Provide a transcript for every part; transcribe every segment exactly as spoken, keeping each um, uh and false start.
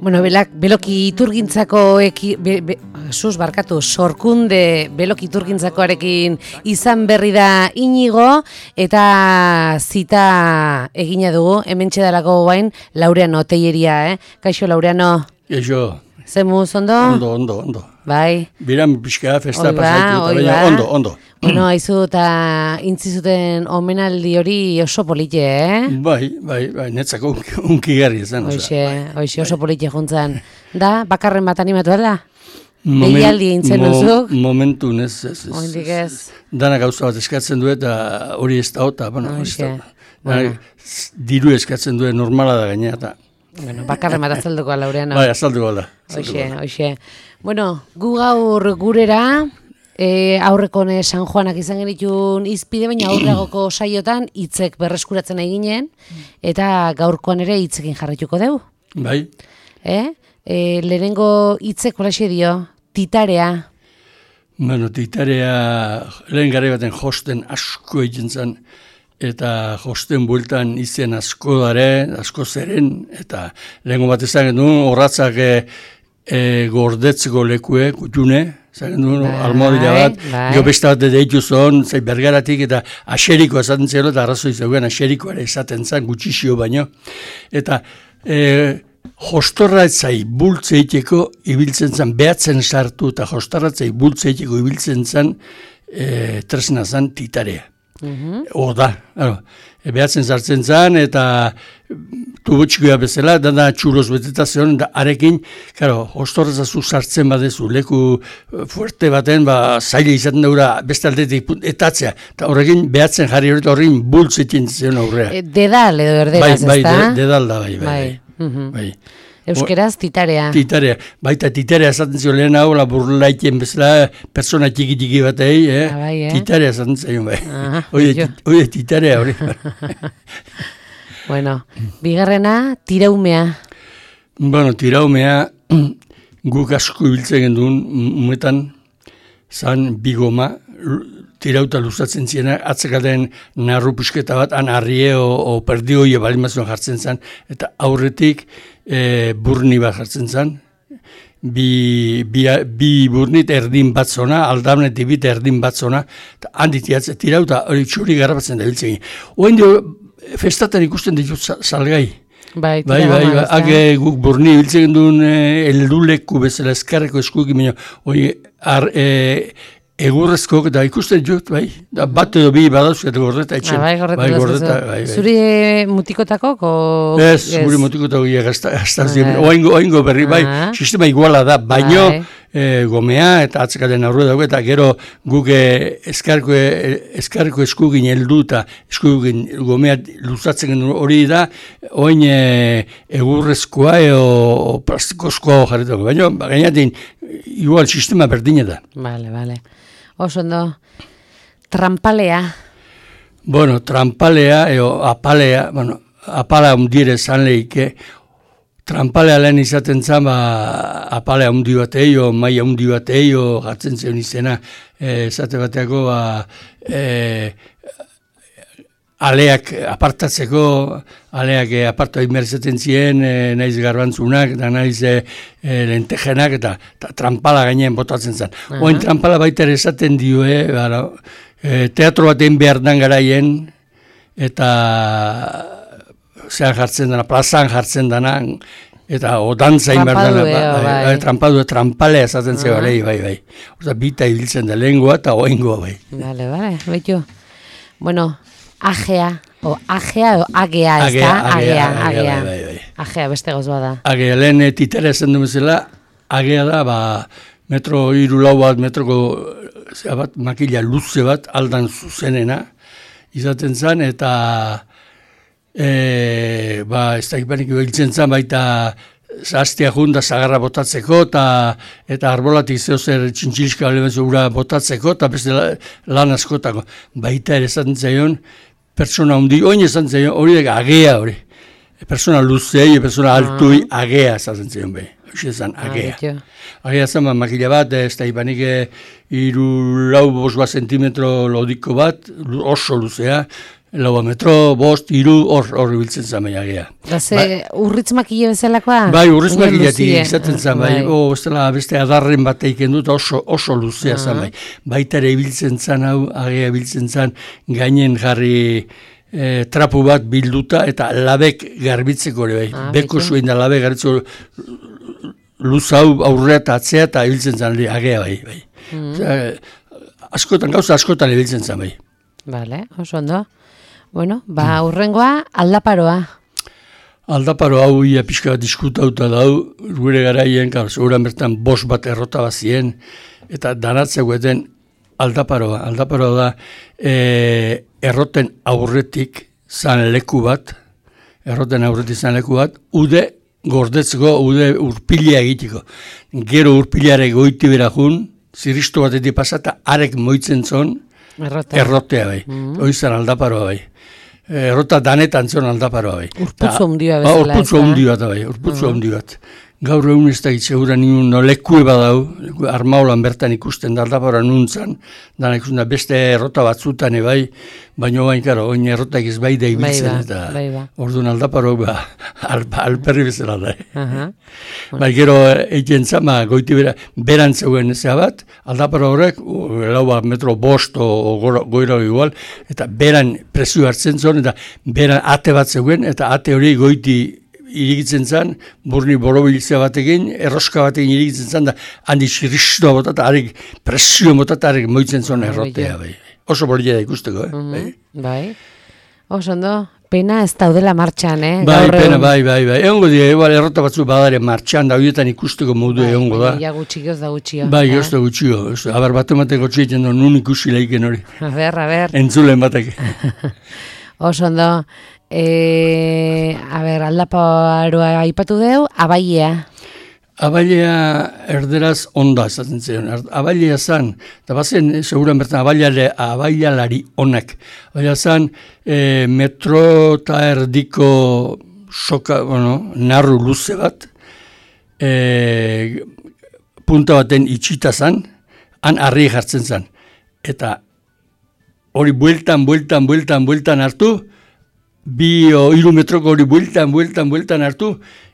Bueno, belak, beloki iturgintzako eki, be, be, sus barkatu, sorkunde beloki iturgintzakoarekin izan berri da Inigo, eta zita egina dugu, hemen txedalako guain, Laureano Teieria, eh? Kaixo, Laureano? Kaixo. Zemuz, ondo? Ondo, ondo, ondo. Bai. Biran pixka, festa pasaitu, eta baina ondo, ondo. Bueno, haizu eta intzizuten omenaldi hori oso polite, eh? Bai, bai, bai, netzako unkigarri izan. Hoxe, hoxe, oso polite juntzan. Da, bakarren bat animatu da? Behialdi intzen duzuk? Momentu, ez, ez, ez. Oindik ez. Dana gauza bat eskatzen du eta hori ez da, eta, bueno, ez da. Bueno. Diru eskatzen du, normala da gaina, eta. Bueno, bakarren bat azalduko, Laureano. Bai, azalduko da. Hoxe, hoxe. Bueno, gu gaur gurera, e, aurrekone San Juanak izan genitun izpide, baina aurragoko saiotan hitzek berreskuratzen nahi ginen, eta gaurkoan ere hitzekin jarrituko dugu. Bai. Eh? E, lehenengo hitzek holaxe dio, titarea. Bueno, titarea lehen gare baten josten asko egin zen, eta josten bueltan izen asko dare, asko zeren, eta lehenko bat ezan genuen, horratzak e, e, gordetzeko lekue, kutune, ezan genuen, almohadila bat, jo beste bat deitu zon, zai bergaratik, eta aseriko esaten zelo, eta arrazoi zegoen aserikoare esaten zen, gutxixio baino, eta e, jostorratzai bultzeiteko ibiltzen zen, behatzen sartu, eta jostorratzai bultzeiteko ibiltzen zen, e, tresna zen titarea. Mm-hmm. Oda, behatzen zartzen zen, eta tubotxikoa bezala, da txuroz beteta zion, da arekin, karo, hostorrazazu sartzen badezu, leku fuerte baten, ba, zaila izaten daura, beste aldetik etatzea, eta horrekin behatzen jarri hori, horrekin bultzetin zion aurrea. E, dedal edo erderaz, ez da? Bai, bai, dedal da, bai, bai, bai. Mm-hmm. bai. Euskeraz, titarea. Titarea. Baita titarea esaten zio lehen hau, la burlaitien bezala, persona txiki-txiki batei, eh? Ah, bai, eh? Titarea esaten zion, bai. Ah, Oie, titarea hori. Bueno, bigarrena, tiraumea. Bueno, tiraumea, guk asko ibiltzen genduen, umetan, zan bigoma, tirauta luzatzen ziena, atzekaten narru pusketa bat, han arrie o, o perdioie balimazioan jartzen zen, eta aurretik e, burni bat jartzen zen, bi, bi, bi burnit erdin bat zona, aldamnetik bit erdin bat zona, eta handit jatzen tirauta hori txuri garrapatzen da biltzen. Oen dio, festatan ikusten ditut salgai. Bai, bai, bai, bai, age guk burni biltzen duen elduleku bezala eskarreko eskuekin, baina, hori, ar, e, egurrezko, eta ikusten jut, bai, da bat edo bi badauz, eta gordeta etxen. Ah, bai, gordeta, bai, gordeta bai, bai. Zuri mutikotako? Ez, zuri mutikotako gaztazien, oaingo, oaingo berri, bai, ah. Sistema iguala da, baino bai. e, gomea, eta atzekaten aurre dago, eta gero guk eskarko, eskarko eskugin heldu, eta eskugin gomea luzatzen hori da, oain e, egurrezkoa edo plastikozkoa jarretako, baino, gainatin, igual sistema berdina da. Vale, vale. Oso ondo, trampalea. Bueno, trampalea, eo, apalea, bueno, apala undire zan lehike, trampalea lehen izaten zan, ba, apalea undi batei, o maia undi batei, o gartzen zion izena, esate bateako, ba, e, aleak apartatzeko, aleak e, apartu imerzaten ziren, e, naiz garbantzunak, eta naiz e, e, lentejenak, eta, eta trampala gainean botatzen zen. Uh-huh. Oin trampala baita ere esaten dio, e, bara, e, teatro baten behar dan garaien, eta zean jartzen dana, plazan jartzen dana, eta odantzain behar dana, ba, bai, bai, trampadu, trampalea esaten uh-huh. Bai, bai, bai. Oza, bita ibiltzen da lengua eta oingoa, bai. Bale, bale, baitu. Bueno, agea, o agea, o agea, ez da? Agea, agea, bai, bai. Agea, beste gauz bada. Agea, lehen titera esan dumezela, agea da, ba, metro hiru lau bat, metroko bat, makila luze bat, aldan zuzenena, izaten zen, eta e, ba, ez da ipanik biltzen zen, baita zaztia junda zagarra botatzeko, eta, eta arbolatik zeo zer txintxilizka ura botatzeko, eta beste lan askotako. Baita ere esaten zaion, persona hundi, oin esaten zaion, hori da agea hori. Persona luzei, persona altui, agea esaten zaion behi. Hoxe esan, agea. Agea zen, makila bat, ez da ipanik iru lau bos bat sentimetro lodiko bat, oso luzea, lau metro, bost, hiru, hor, hor ibiltzen zan bai agea. Da ze, urritz makile bezalakoa? Bai, urritz makiletik izaten zan bai, o, bestela, beste adarren bat eiken dut oso, oso luzea zan bai. Baita ere ibiltzen zan hau, agea ibiltzen zan, gainen jarri e, trapu bat bilduta, eta labek garbitzeko ere bai. Ah, Beko zuen da labek garbitzeko luz hau aurrea eta atzea eta ibiltzen zan agea bai. bai. Mm. Osea, askotan, gauza askotan ibiltzen zan bai. Bale, oso ondo. Bueno, ba, urrengoa, aldaparoa. Aldaparo hau ia pixka bat diskutauta dau, gure garaien, seguran bertan bost bat errota bazien, eta danatzegueten aldaparoa. Aldaparoa da, e, erroten aurretik zan leku bat, erroten aurretik zan leku bat, ude gordetzeko, ude urpilea egiteko. Gero urpileare goiti berajun, ziristu batetik pasata, arek moitzen zon, Errota. errotea bai. Mm-hmm. Oizan aldaparoa bai. Errota danetan zon aldaparoa bai. Urputzu ondioa bezala. Ba, urputzu ondioa da bai, urputzu ondi bat. Gaur egun ez da gitzegura nien no, lekue badau, armaulan bertan ikusten da aldapara nuntzan, dana ikusten da beste errota batzutan bai, baina bain, karo, oin errotak ez bai da ibiltzen, eta ba. orduan aldaparo ba, al, alperri bezala da. Uh-huh. Bai, gero egin zama, goiti bera, berantzeuen ezea bat, aldaparo horrek, lau bat metro bost o goira igual, eta beran presio hartzen zuen, eta beran ate bat zeuen, eta ate hori goiti irigitzen zen, burni borobilizia batekin, erroska batekin irigitzen zen, da handi xirristua bota, eta harik presio bota, eta harik moitzen zuen errotea. Bai. Oso bolia da ikusteko, eh? Mm-hmm. bai. bai. Oso ondo, pena ez daudela martxan, eh? Bai, Gaur pena, bai, bai, bai. Egongo dira, egual errota batzu badare martxan, da horietan ikusteko modu bai, egongo da. Ia gutxi goz da gutxio. Bai, goz da gutxio. Aber bat emateko txeiten du, nun ikusi leiken hori. A ber, a ber. Entzulen batek. Oso ondo. E, a ber, aldaparoa aipatu deu, abailea. Abailea erderaz onda esaten ziren. Abailea zan, eta bazen, seguran bertan, abaileale, abailealari onak. Abailea zan, e, metro eta erdiko soka, bueno, narru luze bat, e, punta baten itxita zan, han harri jartzen zan. Eta hori bueltan, bueltan, bueltan, bueltan hartu, bi o hiru metroko hori bueltan, bueltan, bueltan hartu,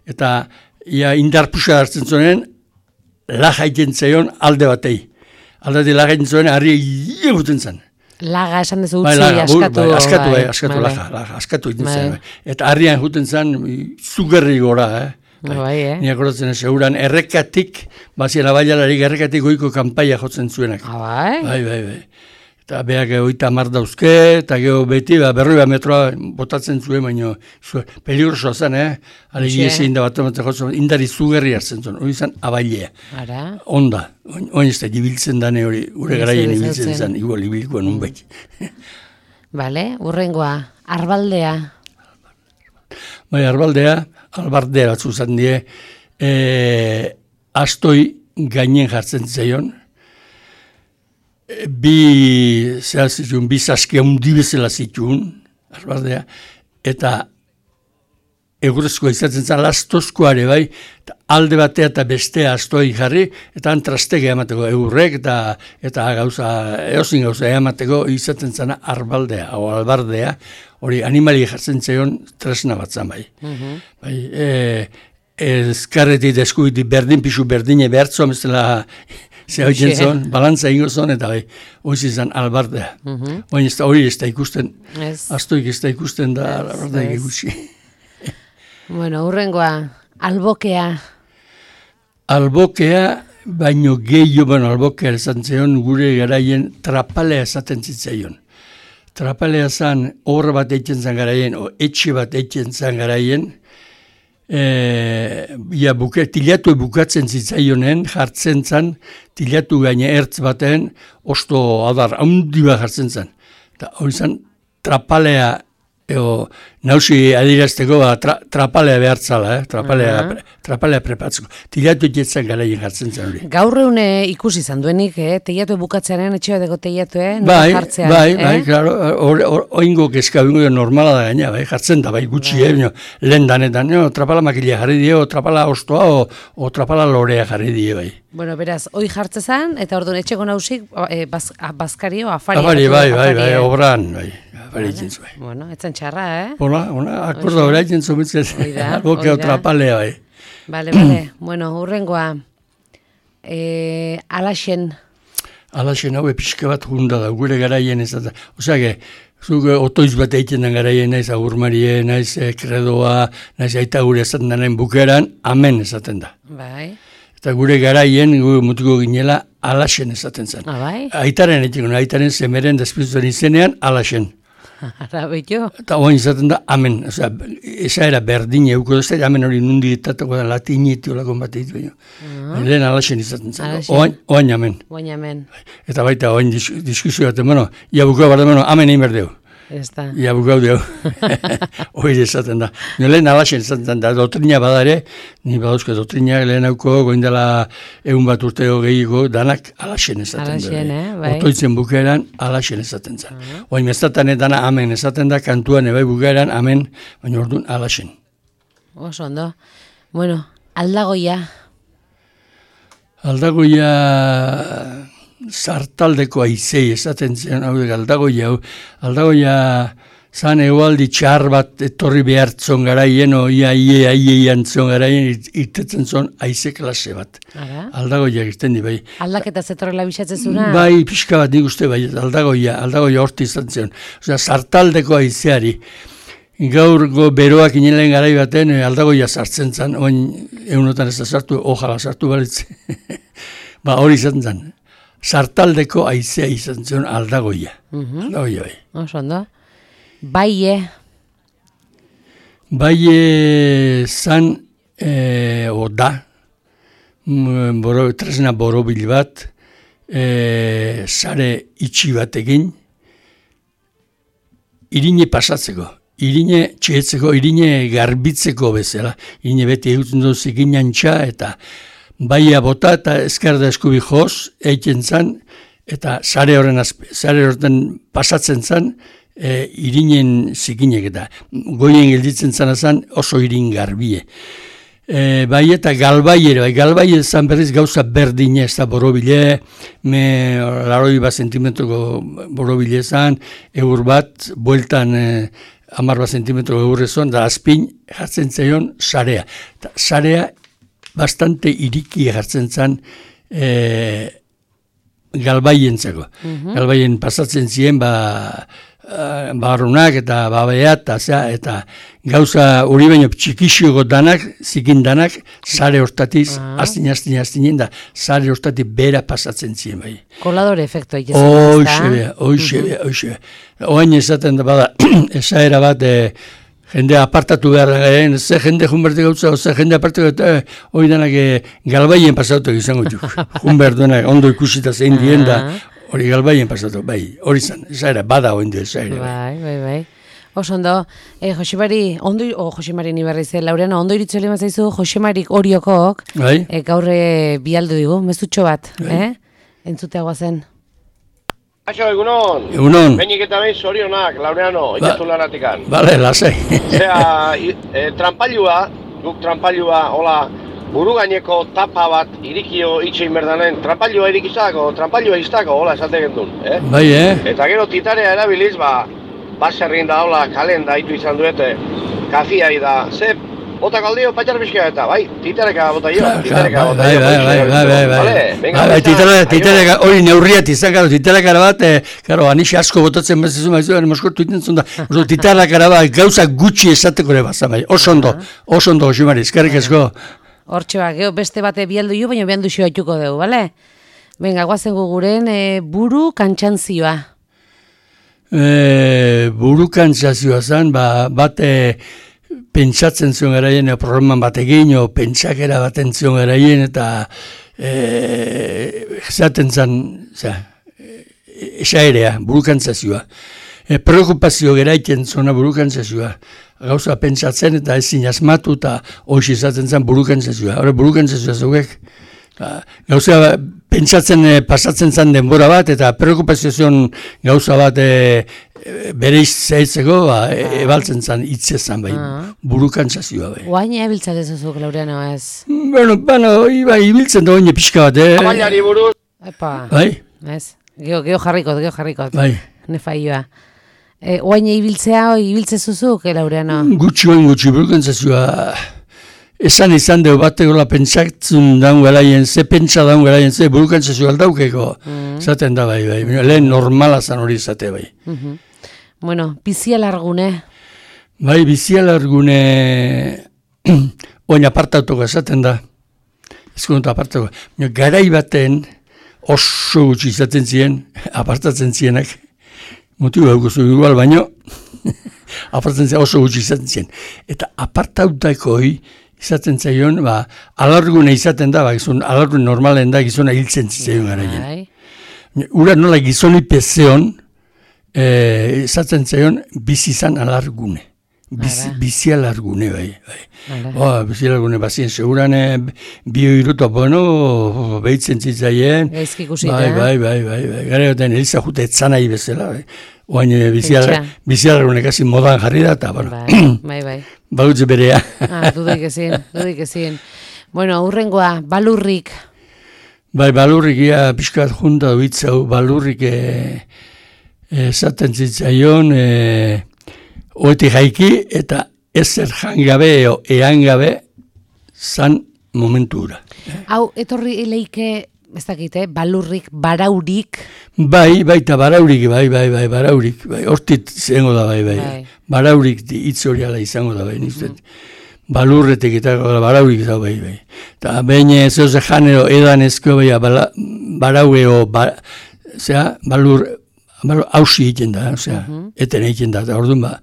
eta ia indarpusa hartzen zuen, laga egiten zeion alde batei. Alde batei laga egiten zuen, harri egiten zen. Laga esan dezu utzi, bai, askatu. Bai, askatu, bai, askatu, bai, laga, laga, askatu egiten zen. Bai. Eta harrian juten zen, zugerri gora, eh? Bai, bai, eh? Ni akordatzen seguran, errekatik, bazien abailalari errekatik goiko kanpaia jotzen zuenak. Ah, bai? Bai, bai, bai. Eta beak oita mar dauzke, eta geho beti, ba, berroi bat metroa botatzen zuen, baina peligrosoa zen, eh? Alegi ezin da bat ematen jotzen, indari zugerri hartzen zuen, hori zen abailea. Ara? Onda, oin ez da, ibiltzen dane hori, gure garaien ibiltzen zen, igual ibilikoa nun bai. Bale, urrengoa, arbaldea. Bai, arbaldea, albardea batzu zen die, e, astoi gainen jartzen zaion, bi zehaz zituen, bi zaskia undi bezala zituen, arbardea, eta egurezkoa izaten zen, lastozkoare bai, eta alde batea eta bestea astoi jarri, eta antrastege emateko egurrek, eta, eta gauza, eozin gauza emateko izaten zen arbaldea, o albardea, hori animali jartzen zeion tresna bat zen bai. Mm-hmm. Bai, e, ezkarretik, deskubitik, berdin pixu berdine behartzoa, bezala, ze hau jentzon, balantza ingo zon, eta bai, hori izan albardea. Mm-hmm. Hori ez da, hori ez da ikusten, yes. Astoik ez da ikusten da, yes, albardea yes. Gutxi. Bueno, urrengoa, albokea. Albokea, baino gehiago, bueno, albokea esan zion, gure garaien trapalea esaten zitzaion. Trapalea zan, hor bat eitzen zan garaien, o etxe bat eitzen zan garaien, E, ja, buke, tilatu bukatzen zitzaionen, jartzen zan, tilatu gaine ertz baten, osto adar, haundi bat jartzen zan. Eta hori zan, trapalea, eo, nausi adirazteko, ba, tra, trapalea behartzala, eh? trapalea, uh-huh. pre, trapalea prepatzeko. Tilatu egetzen garaien jartzen zan hori. Gaur eune ikusi izan duenik, eh? Teiatu bukatzearen, etxe bateko teiatu, eh? Bai, jartzean, bai, eh? Bai, klaro, oingo kezka bingo normala da gaina, bai, jartzen da, bai, gutxi, bai. Eh? Lehen danetan, no? Trapala makilea jarri die, o trapala ostoa, o, o trapala lorea jarri die, bai. Bueno, beraz, hoi jartzezan, eta orduan etxeko nausik, eh, baz, bazkari o afari. Afari, bai, bai, bai, obran, bai. bere egiten zuen. Bueno, etzen txarra, eh? Hola, hola, akorda bere egiten zuen, albo trapalea, bai. Bale, bale, bueno, hurrengoa, e, alaxen. Alaxen hau pixka bat junda da, gure garaien ez da. Osea, zuk otoiz bat egiten den garaien, naiz agurmarie, naiz kredoa, naiz aita gure esaten denen bukeran, amen esaten da. Bai. Eta gure garaien, gure mutuko ginela, alaxen esaten zen. Ah, bai? Aitaren egiten, aitaren zemeren despizuten izenean, alaxen. Ara, beto. Eta oain izaten da, amen. Osea, esa era berdin euko duzte, amen hori nundi ditatuko da, latiniti olakon bat egit baino. Lehen alaxen izaten zen. Oain, oain amen. Oain amen. Eta baita, oain diskusio baten, bueno, ia bukau barda, bueno, amen egin berdeu. Ez da. Ia bukau deu. Hori izaten da. Lehen alaxen izaten da, dotrina badare, ni badauzko dotrina, lehen hauko, goindela egun bat urteo gehiago, danak alaxen esaten da. Alaxen, eh, bai. Otoitzen bukeran, alaxen esaten zen. Oain mestatan dana amen esaten da, kantuan ebai bukeran, amen, baina orduan alaxen. Oso ondo. Bueno, aldagoia. Aldagoia sartaldeko aizei esaten zen, hau aldagoia, aldagoia zan egualdi txar bat etorri behartzon garaien, o ia ie aie iantzon garaien, irtetzen zon aize klase bat. Ara? Aldagoia egiten di, bai. Aldaketa zetorrela bisatzezuna? Bai, pixka bat nik uste, bai, aldagoia, aldagoia horti izan zen. Osea, sartaldeko aizeari, gaurgo beroak inelen garai baten aldagoia sartzen zen, oin egunotan ez da sartu, ojala sartu balitz. Ba, hori izan zen. Sartaldeko aizea izan zen aldagoia. Mhm. Aldagoia, bai. Oso ondo. Baie. Baie zan, e, o da, boro, tresna borobil bat, e, sare itxi batekin, irine pasatzeko. Irine txetzeko, irine garbitzeko bezala. Irine beti egutzen dut zikinantxa eta baia bota eta eskerda eskubi joz, eiken zan, eta sare horren, sare horren pasatzen zan, e, irinen zikinek eta goien gelditzen zan zan oso irin garbie. E, bai eta galbai ere, bai galbai zan berriz gauza berdine ez da borobile, me laroi bat sentimetroko borobile zan, eur bat, bueltan e, amar bat sentimetro eurrezon, da azpin jartzen zaion sarea. Ta, sarea bastante iriki jartzen zan e, galbaientzako. Mm-hmm. Galbaien pasatzen ziren ba, barrunak eta babeat, eta gauza hori baino txikixioko danak, zikin danak, sare hortatiz, uh-huh. astin, astin, astinen da, sare hortatik bera pasatzen ziren bai. Koladore efektu egiten. Oixe bea, oixe bea, oixe bea. Oain esaten da bada, esaera bat, e, jende apartatu behar garen, ze jende junberte gautza, ze jende apartatu gautza, hori danak e, galbaien pasatu izango duk. Junbert duenak ondo ikusita zein dien da, hori galbaien pasatu, bai, hori zan, esaera, bada hori du esaera. Bai, bai, bai. Oso ondo, eh, Josemari, ondo, o oh, Josemari ni berriz, Laureano, ondo iritzu lema zaizu, Josemarik oriokok, bai? eh, gaurre bialdu digu, mezutxo bat, bai. eh? Entzuteagoa zen. Aixo, egunon. Egunon. Benik eta behin zorionak, Laureano, ba, itatu lanatikan. Bale, lasai. Zea, e, trampailua, guk trampailua, hola, buru gaineko tapa bat irikio itxein berdanen, trampailua irikizako, trampailua iztako, hola, esate gendun, eh? Bai, eh? Eta gero titarea erabiliz, ba, baserrin da, hola, kalen da, itu izan duete, kafiai da, ze, botak aldio patxar bizkia eta, bai, titereka bota jo, titereka bota jo. Bai, bai, bai, bai, bai, bai, titereka, hori neurriat izan, garo, titereka bat, garo, anixe asko botatzen bezizu maizu, garen moskortu iten zunda, titereka bat, gauza gutxi esateko ere bazan, bai, oso ondo, oso ondo, Josemari, eskerrik asko. Hortxe bat, beste bate bialdu jo, baina bialdu xo haituko dugu, bale? Venga, guazen guguren, e, buru kantxantzioa. E, buru kantxantzioa zen, ba, bate, pentsatzen zion garaien, programan bat egin, o pentsakera baten zion garaien, eta e, zaten zen, esaerea, burukantzazioa. E, preokupazio geraiten zona burukantzazioa. Gauza pentsatzen eta ezin asmatu eta hoxi izaten zen burukantzazioa. Hora burukantzazioa zuek. Gauza pentsatzen e, pasatzen zen denbora bat eta preokupazio zion gauza bat e, bere izaitzeko ba, e, ebaltzen zen hitzezan bai. Burukantzazioa bai. Oain ebiltzat ez zuzuk, Laureano, ez? Bueno, bueno, iba, ibiltzen da oine pixka bat, eh? Abaiari buruz. Epa. Bai? Ez, geho, geho jarrikot, geho jarrikot. Bai. Nefaioa. E, oain ibiltzea, ibiltze zuzuk, Laureano? Gutxi oin gutxi, burkantzazioa, esan izan deu bategola pentsatzen daun garaien, ze pentsa daun garaien, ze burkantzazioa aldaukeko, zaten da bai, bai, lehen normala zan hori zate bai. Mm-hmm. Bueno, bizialargune? Bai, bizialargune, oin apartatuko esaten da, ezkontu apartatuko, garai baten oso gutxi izaten ziren, apartatzen zienak, motibo haukuzu igual, baino, apartatzen ziren oso gutxi izaten ziren. Eta apartautakoi izaten zaion, ba, alargune izaten da, ba, gizun, alargune normalen da, gizona hiltzen zaion garaien. Ura nola gizoni pezeon, e, izaten zaion, bizizan alargune. Biz, bizialargune, bai. bai. Oh, bizialargune, bazien, segurane, bio iruto, bueno, behitzen zitzaien. Gaizki ikusita. Bai, bai, bai, bai, bai. Gara goten, eliza jute etzanai bezala, bai. Oain, bizialargune kasi modan jarri da, eta, bueno. Bai, bai, bai. Bautze berea. Ah, dudik ezin, dudik ezin. Bueno, urrengoa, balurrik. Bai, balurrik, ia, pixkat junta duitzau, balurrik esaten zitzaion, e, oeti jaiki eta ezer jangabe eo eangabe zan momentura. Hau, etorri eleike, ez dakite, balurrik, baraurik. Bai, baita baraurik, bai, bai, bai, baraurik, bai, hortit zengo da, bai, bai. bai. Baraurik hitz hori ala izango da, bai, niztet. Mm. Balurretek eta baraurik da, bai, bai. Eta behin zeuze janero edan ezko, bai, baraueo, ba, zera, balur, hausi egiten da, osea, uh-huh. eten egiten da, eta orduan, ba,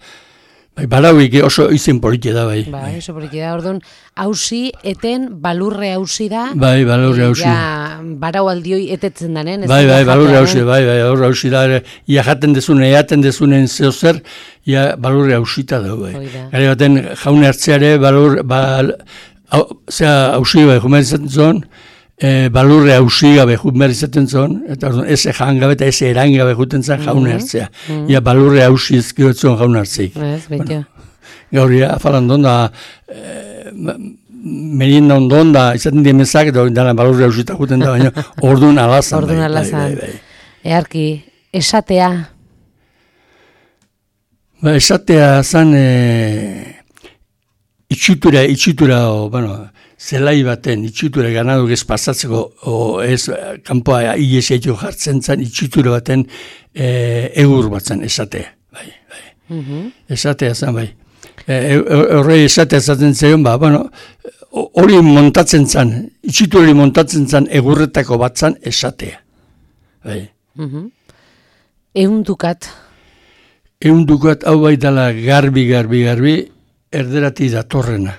bai, barauik oso izen polite da, bai. Bai, oso polite da, orduan, hausi, eten, balurre hausi da. Bai, balurre hausi. Ja, barau aldioi etetzen danen. Bai, bai, balurre hausi, bai, bai, balurre hausi da, ia jaten dezunen, eaten dezunen zeo zer, ia balurre hausita da, bai. Gari baten, jaune hartzeare, balur, bal, zera, hausi, bai, jumen izaten zuen, E, balurre hausi gabe behar izaten zon, eta ez jangabe eta ez erangabe juten zen jaune hartzea. Mm-hmm. Ia balurre hausi ezkirotzen jaune hartzeik. Ez, bueno, gauri, afalan donda, e, merinda ondon da, izaten dien mezak, eta dara balurre hausita juten da, baina orduan alazan. Orduan alazan. Bai, bai, bai. Earki, esatea? Ba, esatea zan, e, itxitura, itxitura, o, bueno, zelai baten, itxitura ganadu ez pasatzeko, o ez kanpoa iesietio jartzen zen, itxitura baten e, egur batzen esatea. Bai, bai. Mm-hmm. Esatea zen, bai. Horrei e, esatea zaten zion, ba, bueno, hori montatzen zen, itxitura hori montatzen zen egurretako batzan esatea. Bai. Mm-hmm. Eundukat? Eundukat, hau bai dala garbi, garbi, garbi, erderati datorrena.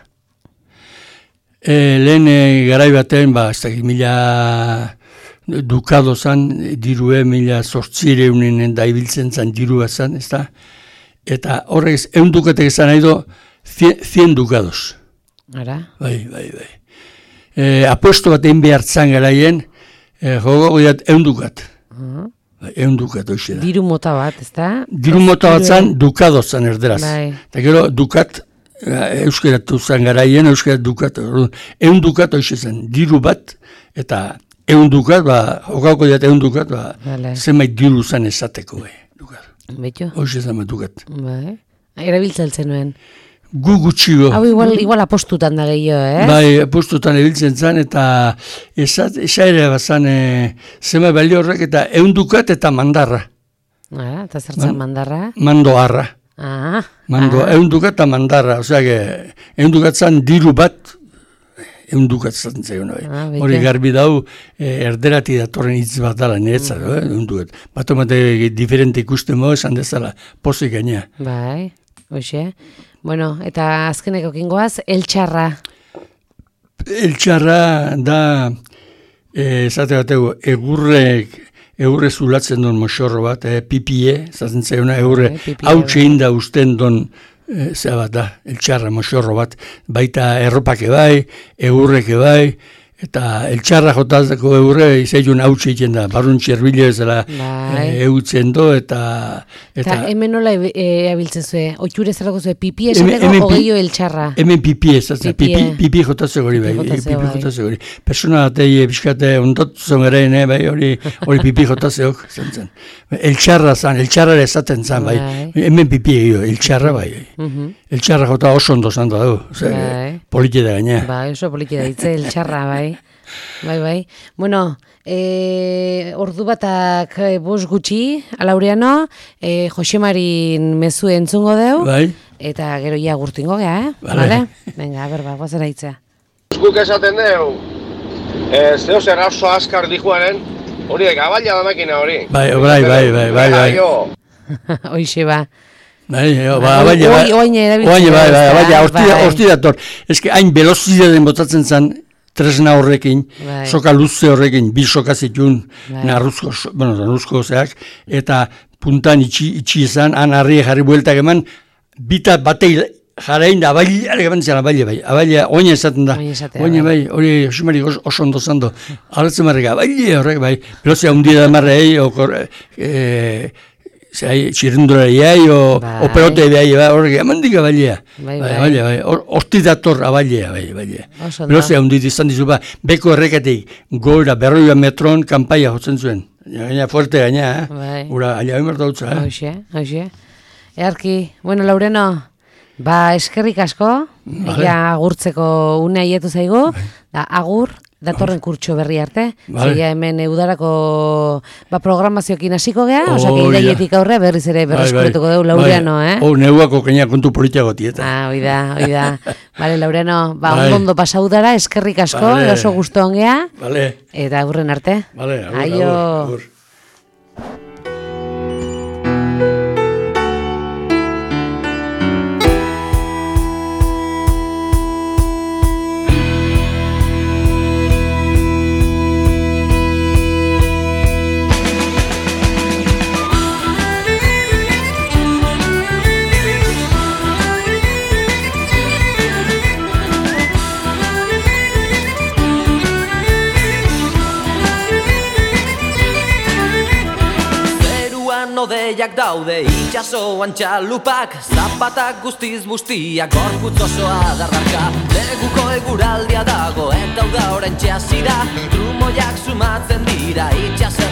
E, lehen e, garai baten, ba, ez dakit, mila dukado zan, dirue, mila zortzireunen da ibiltzen zan dirua zan, ez da? Eta horrek, eun dukatek zan nahi do, cien dukados. Ara? Bai, bai, bai. E, apuesto bat egin behartzan garaien, e, jogo goiat eun dukat. Uh-huh. Bai, eun dukat, hoxe da. Diru mota bat, ez da? Diru mota bat zan, dukado zan erderaz. Bai. Eta gero, dukat, euskeratu zen garaien, euskerat dukat, eun dukat hoxe zen, diru bat, eta eun dukat, ba, jokauko diat eun dukat, ba, vale. Zenbait diru zen esateko, bai, dukat. Beto? Hoxe zen bat dukat. Bai, erabiltzen nuen. Gu gutxigo. Hau igual, igual apostutan da gehiago, eh? Bai, apostutan ebiltzen zen, eta esat, esaire bat zen, e, zenbait balio horrek, eta eun dukat eta mandarra. Ah, eta zertzen Man, mandarra? Mandoarra. Ah, Mando, ah. eundukat eta mandarra, osea, eundukat zan diru bat, eundukat zaten zaion, ah, hori garbi dau, e, erderati datorren hitz bat dala, niretzat, mm. eh, eundukat. Bato mate diferente ikusten mo, esan dezala, pozik gainea. Bai, hoxe. Bueno, eta azkeneko kingoaz, eltxarra. Eltxarra da, e, zate batego, egurrek, Egurre zulatzen duen moxorro bat, eh, pipie, zaten zaiona, egurre hautxe inda usten duen, eh, zera bat da, eltxarra moxorro bat, baita erropake bai, egurreke bai, eta eltxarra jotazeko eurre izailun hautsi egiten da, barrun txerbile ezela bai. eutzen do, eta... Eta hemen nola abiltzen zuen, oitxure zerrako zuen, pipi esateko ogeio eltxarra. Hemen pipi ez, pipi, pipi jotazeko hori, bai, pipi jotazeko hori. Persona atei biskate ondotzen garen, bai, hori pipi jotazeok, zen zen. Eltxarra zan, eltxarra esaten zan, bai, hemen pipi egio, eltxarra, bai. Eltxarra jota oso ondo zan da, politi da gaina. Bai, oso politi da, itze eltxarra, bai. Bai, bai. Bueno, e, ordu batak e, bos gutxi, Laureano, e, Josemarin mezu entzungo deu, bai. Eta gero ia gurtingo gea, eh? Vale. Venga, berba, guazera hitza. Guk esaten deu, e, zeo zer oso askar dijuaren, hori da, gabaila da makina hori. Bai, bai, bai, bai, bai, bai. Hoixe, ba. Bai, ba, bai, bai, bai, bai, horti dator. Ez que hain velozidaden botatzen zan, tresna horrekin, bai. Soka luze horrekin, bi soka zitun, bai. narruzko, bueno, narruzko zeak, eta puntan itxi, itxi izan, han harri jarri bueltak eman, bita batei jarain da, abaileare eman zian, abaile bai, abaile, oina esaten da, oina bai, hori Josemari oso ondo zando, arretzen marrega, abaile horrek bai, pelozia hundi da marrei, okor, e, zai, txirrendurariai, o, bai. O pelote behai, bai, horrek, emandik abailea, bai, bai, bai, bai, horti dator abailea, bai, bai, pelozia hundi izan dizu, ba, beko erreketik, gora, berroia metron, kanpaia jotzen zuen, gaina fuerte gaina, eh? Bai. Ura, alia emerta dutza, eh? Hoxe, hoxe. Earki, bueno, Laureno, ba, eskerrik asko, vale. Ja agurtzeko une aietu zaigu, bai. Da, agur, datorren kurtso berri arte, vale. Zeia hemen eudarako ba, programazioekin hasiko gea, oh, osake iraietik aurre berriz ere berreskuretuko bai, bai. Deu Laureano, bai. Eh? Oh, neuako keina kontu politiako tieta. Ah, oida, oida. Vale, Laureano, ba, bai. Ondo pasaudara, eskerrik asko, vale. Oso gustu ongea, vale. Eta aurren arte. Vale, agur, aio. Agur, agur. Odeiak daude itxasoan txalupak, zapatak guztiz bustiak, gorputz osoa dardarka. Neguko eguraldia dago eta uda orain txasira, trumoiak sumatzen dira itxaso